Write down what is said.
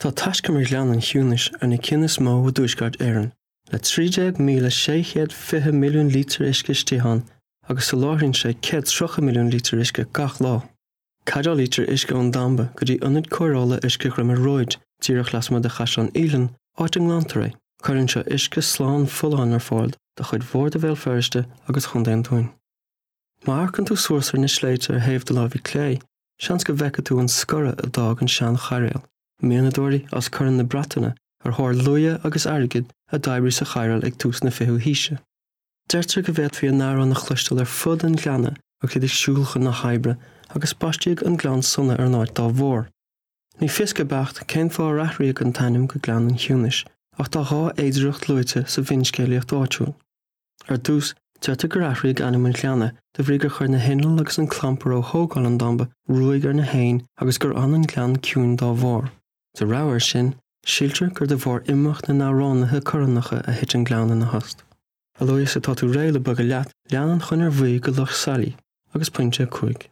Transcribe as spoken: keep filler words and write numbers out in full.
Tá taiscumar Ghleann an Chiúnais ar na cinn is mó i dTuaisceart Éireann, le trí déag míle sé chéad fiche milliún lítear uisce istigh ann agus soláthraíonn sé céad tríocha milliún lítear uisce gach lá. Caidéalaítear uisce ón damba go dtí ionad cóireála uisce Dhroim ar Róid, díreach lasmuigh de Chaisleán Uidhilín, áit a nglantar é. Cuireann seo uisce slán folláin ar fáil do chuid mhór de Bhéal Feirste agus Chontae an Dúin. Má amharcann tú suas ar na sléibhte ar thaobh do láimhe clé, seans go bhfeicfidh tú an scoradh a d'fhág an seanchairéal. Mianadóirí as Corn na Breataine ar thóir luaidhe agus airgid a d'oibrigh sa chairéal ag tús na fichiú haoise. Deirtear go bhféadfaí a n-amhrán a chloisteáil ar fud an ghleanna agus iad ag siúl chun na hoibre agus baisteadh an Gleann Sona ar an áit dá bharr. Ní fios go beacht cén fáth ar athraíodh an t-ainm go Gleann an Chiúnais, ach tá dhá fhéidearthacht luaite sa bhfinscéalaíocht áitiúil. Ar dtús, deirtear gur athraíodh ainm an ghleanna de bhrí gur chuir na hinnill agus an clampar ó thógáil an damba ruaig ar na héin agus gur fhan an gleann ciúin dá bharr. De rogha air sin, síltear gur de bharr imeacht na n-amhránaithe Corannacha a thit an gleann ina thost. A luaithe is atá tú réidh le bogadh leat, lean an chonair bhuí go Loch Sailí agus pointe a cúig.